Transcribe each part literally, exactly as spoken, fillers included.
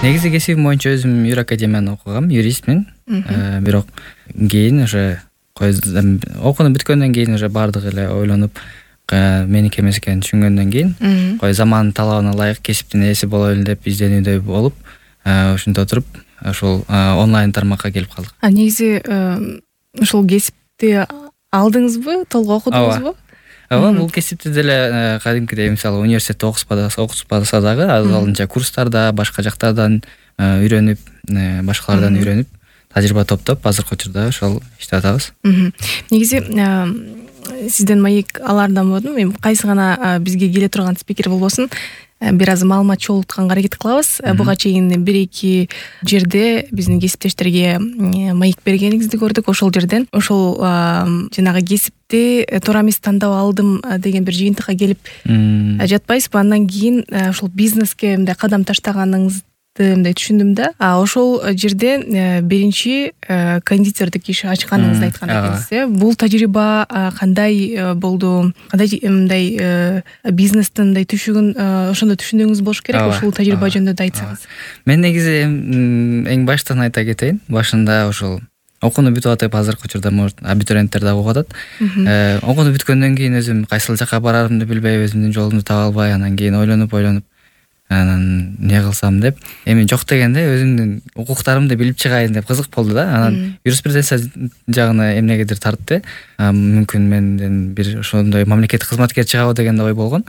Негизи кесибим боюнча өзүм юр академияны окугам, юристмин. Бирок кийин уже окууну бүткөндөн кийин уже баардыгы эле ойлонуп, меники эмес экенин түшүнгөндөн кийин кой замандын талабына ылайык кесиптин ээси болойлу деп изденүүдө болуп, ушинтип отуруп ушул онлайн тармакка келип калдык. А негизи ушул кесипти алдыңызбы, толук окудуңузбу? Ооба, бул кесипти деле кадимкидей мисалы университетте окутпаса дагы азалынча курстарда, башка жактардан үйрөнүп, башкалардан үйрөнүп, тажрыйба топтоп, азыркы учурда ошол иштеп атабыз. Негизи сизден маек алардан болдум. Эми кайсы гана бизге келе турган спикер болбосун, бир аз маалымат чогултканга аракет кылабыз. Буга чейин бир-эки жерде биздин кесиптештерге маек бергениңизди көрдүк. Ошол жерден ошол жанагы кесипти туура эмес тандап алдым деген бир жыйынтыкка келип жатпайсызбы? Андан кийин ошол бизнеске мындай кадам таштаганыңызды мындай түшүндүм да. А ошол жерде биринчи кондитердик иш ачканыңызды айткан экенсиз. Бул тажрыйба кандай болду? Кандай мындай бизнестин мындай түшүгүн ошондо түшүндүгүңүз болуш керек. Ошол тажрыйба жөнүндө да айтсаңыз. Мен негизи эң баштан айта кетейин. Башында ошол окууну бүтүп атып, азыркы учурда может абитуриенттер да окуп атат. Окууну бүткөндөн кийин өзүм кайсыл жака барарымды билбей, өзүмдүн жолумду таба албай, анан кийин ойлонуп ойлонуп анан эмне кылсам деп, эми жок дегенде өзүмдүн укуктарымды билип чыгайын деп кызык болду да. Анан юриспруденция жагына эмнегедир тартты. Мүмкүн менден бир ошондой мамлекеттик кызматкер чыгабы деген ой болгон.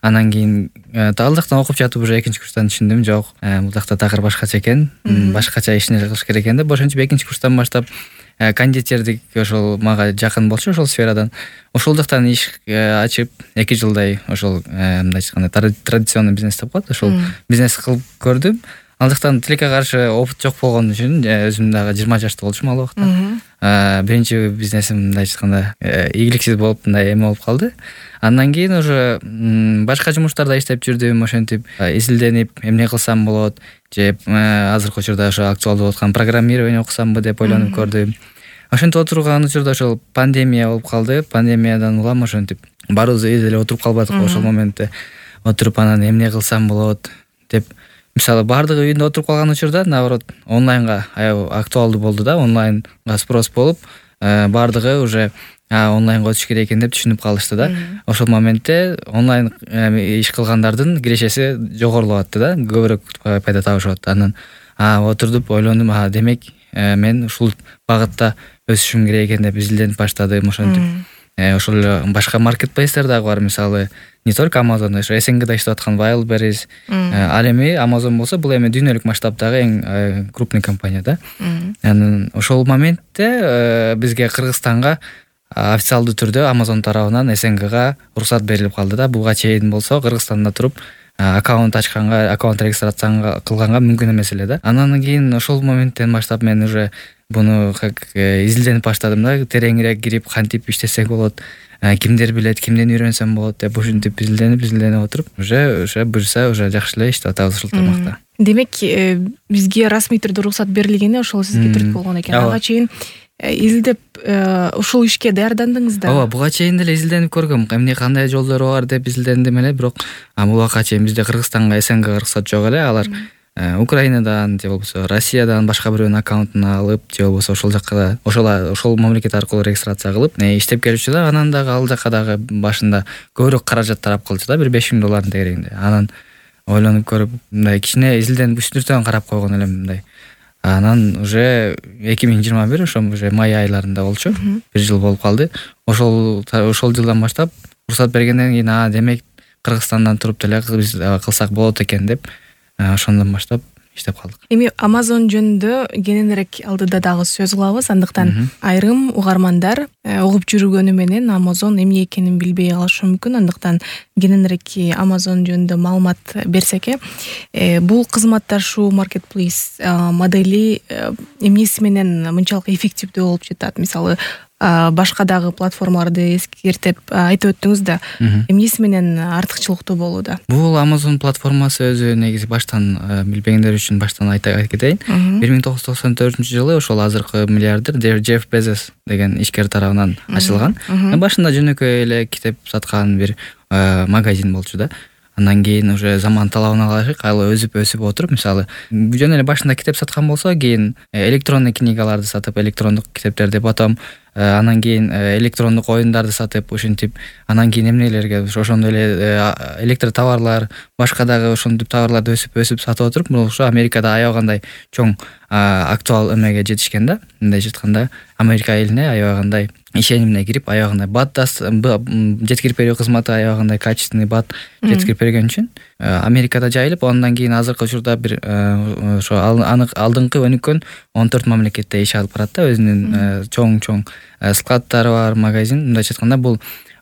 Анан кийин ал жактан окуп жатып уже экинчи курстан түшүндүм, жок, бул жакта такыр башкача экен, башкача ишин кылыш керек экен деп, ошентип экинчи курстан баштап кондитердик ошол мага жакын болчу, ошол сферадан. Ошол жактан иш ачып эки жылдай ошол мындай айтканда традиционный бизнес деп коет, ошол бизнес кылып көрдүм. Ал жактан тилекке каршы опыт жок болгон үчүн өзүм дагы жыйырма жашта болчумун ал убакта. Биринчи бизнесим мындай айтканда ийгиликсиз болуп, мындай эме болуп калды. Андан кийин уже башка жумуштарда иштеп жүрдүм, ошентип изилденип, эмне кылсам болот, же азыркы учурда ошо актуалдуу болуп аткан программирование окусамбы деп ойлонуп көрдүм. Ошентип отурган учурда ошол пандемия болуп калды. Пандемиядан улам ошентип баарыбыз үйдө эле отуруп калбадыкпы ошол моментте. Отуруп анан эмне кылсам болот деп, мисалы баардыгы үйүндө отуруп калган учурда наоборот онлайнга аябай актуалдуу болду да, онлайнга спрос болуп, баардыгы уже онлайнга өтүш керек экен деп түшүнүп калышты да. Ошол моментте онлайн иш кылгандардын кирешеси жогорулап атты да, көбүрөөк пайда табышып атты. Анан отурдуп ойлондум, демек мен ушул багытта өсүшүм керек экен деп изилденип баштадым. Ошентип ошол эле башка маркетплейстер дагы бар, мисалы не только Amazon, ошо СНГда иштеп аткан Wildberries. Ал эми Amazon болсо бул эми дүйнөлүк масштабтагы эң крупный компания да. Анан ошол моментте бизге Кыргызстанга официалдуу түрдө Amazon тарабынан СНГга уруксат берилип калды да. Буга чейин болсо Кыргызстанда туруп аккаунт ачканга, аккаунт регистрация кылганга мүмкүн эмес эле да. Анан кийин ошол моменттен баштап мен уже буну изилденип баштадым да, тереңирээк кирип кантип иштесек болот, кимдер билет, кимден үйрөнсөм болот деп ушинтип изилденип изилденип отуруп уже уже буюрса уже жакшы эле иштеп атабыз ушул тармакта. Демек бизге расмий түрдө уруксат берилгени ошол сизге түрткү болгон экен. Ага чейин изилдеп ушул ишке даярдандыңыз да? Ооба, буга чейин деле изилденип көргөм, эмне кандай жолдору бар деп изилдендим эле, бирок бул убакка чейин бизде Кыргызстанга СНГга уруксат жок эле. Алар Украинадан же болбосо Россиядан башка бирөөнүн аккаунтун алып, же болбосо ошол жакка ошол ошол мамлекет аркылуу регистрация кылып иштеп келчү да. Анан дагы ал жакка дагы башында көбүрөөк каражат тарап калчу да, бир беш миң доллардын тегерегинде. Анан ойлонуп көрүп, мындай кичине изилденип үстүртөн карап койгон элем мындай. Анан уже эки миң жыйырма бир ошо уже май айларында болчу, бир жыл болуп калды. Ошол ошол жылдан баштап уруксат бергенден кийин а демек Кыргызстандан туруп деле биз кылсак болот экен деп ошондон баштап иштеп калдык. Эми Amazon жөнүндө кененирээк алдыда дагы сөз кылабыз. Андыктан айрым угармандар угуп жүргөнү менен Amazon эмне экенин билбей калышы мүмкүн. Андыктан кененирээк Amazon жөнүндө маалымат берсек, бул кызматташуу маркетплейс модели эмнеси менен мынчалык эффективдүү болуп жатат? Мисалы башка дагы платформаларды эскертип айтып өттүңүз да, эмнеси менен артыкчылыктуу болууда? Бул Amazon платформасы өзү негизи баштан билбегендер үчүн баштан айта кетейин. бир миң тогуз жүз токсон төртүнчү жылы ошол азыркы миллиардер Джефф Безос деген ишкер тарабынан ачылган. Башында жөнөкөй эле китеп саткан бир магазин болчу да. андан кийин уже заман талабына ылайык ал өсүп өсүп отуруп, мисалы жөн эле башында китеп саткан болсо, кийин электронный книгаларды сатып, электрондук китептерди, потом анан кийин электрондук оюндарды сатып, ушинтип анан кийин эмнелерге ошондой эле электр товарлар, башка дагы ошентип товарларды өсүп өсүп сатып отуруп, бул ошо Америкада аябагандай чоң актуал эмеге жетишкен да. Мындайча айтканда, Америка элине аябагандай ишенимине кирип, аябагандай бат жеткирип берүү кызматы аябагандай качественный бат жеткирип берген үчүн Америкада жайылып, андан кийин азыркы учурда бир ошо алдыңкы өнүккөн он төрт мамлекетте иш алып барат да. Өзүнүн чоң-чоң складдары бар, магазин. Мындайча айтканда, бул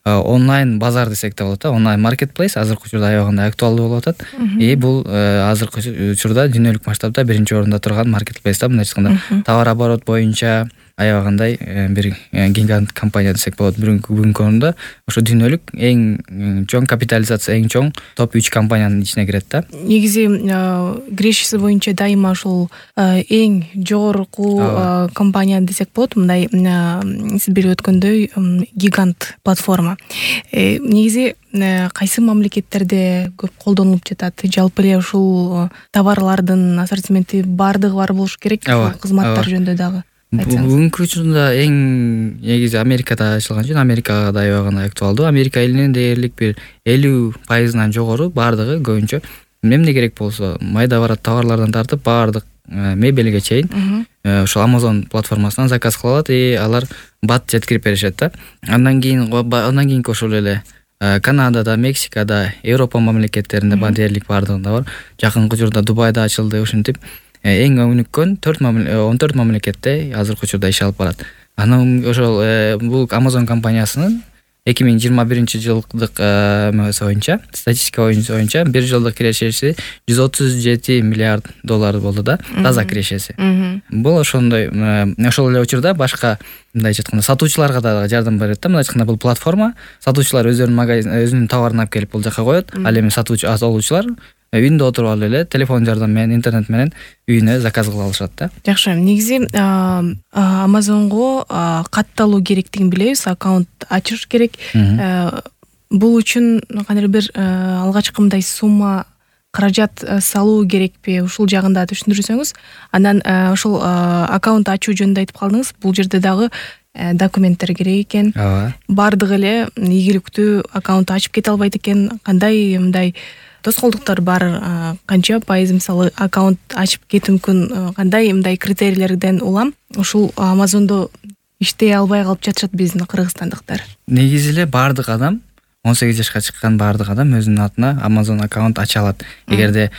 онлайн базар десек да болот да, онлайн маркетплейс азыркы учурда аябагандай актуалдуу болуп атат. И бул азыркы учурда дүйнөлүк масштабта биринчи орунда турган маркетплейс да. Мындайча айтканда, товар оборот боюнча аябагандай бир гигант компания десек болот. Бүгүнкү күндө ошо дүйнөлүк эң чоң капитализация, эң чоң топ үч компаниянын ичине кирет да. Негизи кирешеси боюнча дайыма ошол эң жогорку компания десек болот. Мындай сиз билип өткөндөй гигант платформа. Негизи кайсы мамлекеттерде көп колдонулуп жатат? Жалпы эле ушул товарлардын ассортименти баардыгы бар болуш керек, кызматтар жөнүндө дагы. Бүгүнкү учурда эң негизи Америкада ачылган үчүн Америкага да аябагандай актуалдуу. Америка элинин дээрлик бир элүү пайызынан жогору баардыгы көбүнчө эмне керек болсо, майда барат товарлардан тартып баардык мебелге чейин ошол Amazon платформасынан заказ кыла алат, и алар бат жеткирип беришет да. Андан кийин андан кийинки ошол эле Канадада, Мексикада, Европа мамлекеттеринде бар, дээрлик баардыгында бар. Жакынкы учурда Дубайда ачылды. Ушинтип эң өнүккөн он төрт мамлекетте азыркы учурда иш алып барат. Анан ошол бул Amazon компаниясынын эки миң жыйырма биринчи жылдык эмеси боюнча, статистика боюнча бир жылдык кирешеси жүз отуз жети миллиард доллар болду да, таза кирешеси. Бул ошондой, ошол эле учурда башка, мындайча айтканда, сатуучуларга да жардам берет да. Мындайча айтканда, бул платформа сатуучулар өздөрүнүн магазин, өзүнүн товарын алып келип бул жака коет. Ал эми сатуучу алуучулар үйүндө отуруп алып эле телефон жардамы менен, интернет менен үйүнө заказ кыла алышат да. Жакшы. Негизи Amazonго катталуу керектигин билебиз, аккаунт ачыш керек. Бул үчүн кандайдыр бир алгачкы мындай сумма, каражат салуу керекпи? Ушул жагында түшүндүрсөңүз. Анан ошол аккаунт ачуу жөнүндө айтып калдыңыз. Бул жерде дагы документтер керек экен. Бардыгы эле ийгиликтүү аккаунт ачып кете албайт экен. Кандай мындай тоскоолдуктар бар? Канча пайыз мисалы аккаунт ачып кетүү мүмкүн? Кандай мындай критерийлерден улам ушул Amazon'до иштей албай калып жатышат биздин кыргызстандыктар? Негизи эле баардык адам, он сегиз жашка чыккан баардык адам өзүнүн атына Amazon аккаунт ача алат. Эгерде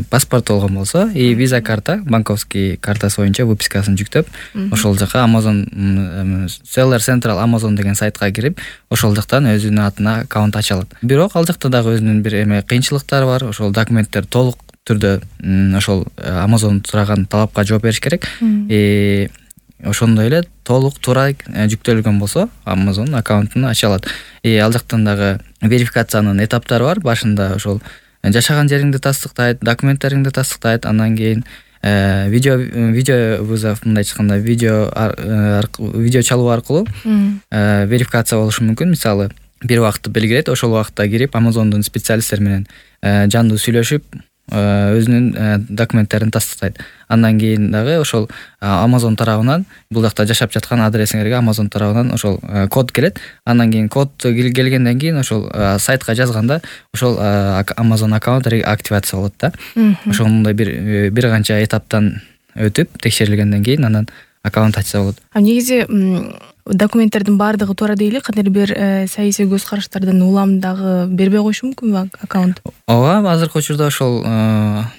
паспорт болгон болсо, и виза карта, банковский картасы боюнча выпискасын жүктөп, ошол жака Amazon Seller Central Amazon деген сайтка кирип, ошол жактан өзүнүн атына аккаунт ача алат. Бирок ал жакта дагы өзүнүн бир эме кыйынчылыктары бар. Ошол документтер толук түрдө ошол Amazon сураган талапка жооп бериш керек. И ошондой эле толук туура жүктөлгөн болсо Amazon аккаунтун ача алат. И ал жактан дагы верификациянын этаптары бар. Башында ошол жашаган жериңди тастыктайт, документтериңди тастыктайт, андан кийин видео видео вызов, мындайча айтканда, видео видео чалуу аркылуу верификация болушу мүмкүн. Мисалы, бир убакытты белгилейт, ошол убакытта кирип Amazon'дун специалисттери менен жандуу сүйлөшүп, өзүнүн документтерин тастыктайт. Андан кийин дагы ошол Amazon тарабынан, бул жакта жашап жаткан адресиңерге Amazon тарабынан ошол код келет. Андан кийин код келгенден кийин ошол сайтка жазганда ошол Amazon аккаунт активация болот да. Ошондой бир бир канча этаптан өтүп, текшерилгенден кийин анан аккаунт ачса болот. А негизи документтердин баардыгы туура дейли, кандайдыр бир саясий көз караштардан улам дагы бербей коюшу мүмкүнбү аккаунт? Ооба, азыркы учурда ошол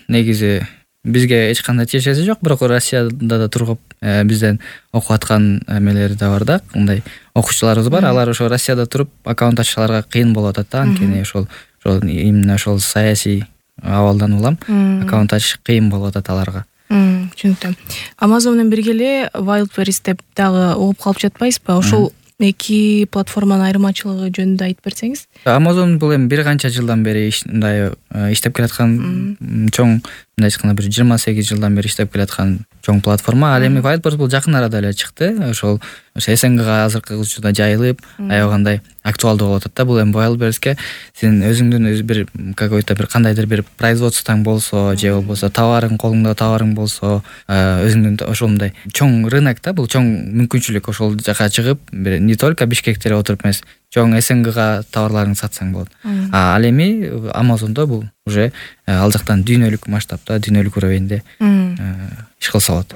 негизи бизге эч кандай тиешеси жок, бирок Россияда да тургуп бизден окуп аткан эмелери да бар да, мындай окуучуларыбыз бар. Алар ошо Россияда туруп аккаунт ачышаларга кыйын болуп атат да, анткени ошол ошол именно ошол саясий абалдан улам аккаунт ачыш кыйын болуп атат аларга. Түшүнүктүү. Amazon менен бирге эле Wildberries деп дагы угуп калып жатпайсызбы? Ошол эки платформанын айырмачылыгы жөнүндө айтып берсеңиз. Amazon бул эми бир канча жылдан бери мындай иштеп келаткан чоң мындай айтканда бир жыйырма сегиз жылдан бери иштеп келаткан чоң платформа. Ал эми Whiteboard бул жакын арада эле чыкты. Ошол СНГга азыркы учурда жайылып, аябагандай актуалдуу болуп атат да. Бул эми Wildberriesке сен өзүңдүн өз бир какой-то бир кандайдыр бир производствоң болсо, же болбосо товарың, колуңда товарың болсо, өзүңдүн ошондой чоң рынок да, бул чоң мүмкүнчүлүк. Ошол жака чыгып, бир не только Бишкекте отуруп эмес, чоң СНГга товарларыңды сатсаң болот. А ал эми Amazon'до бул уже ал жактан дүйнөлүк масштабта, дүйнөлүк уровеньде иш кылса болот.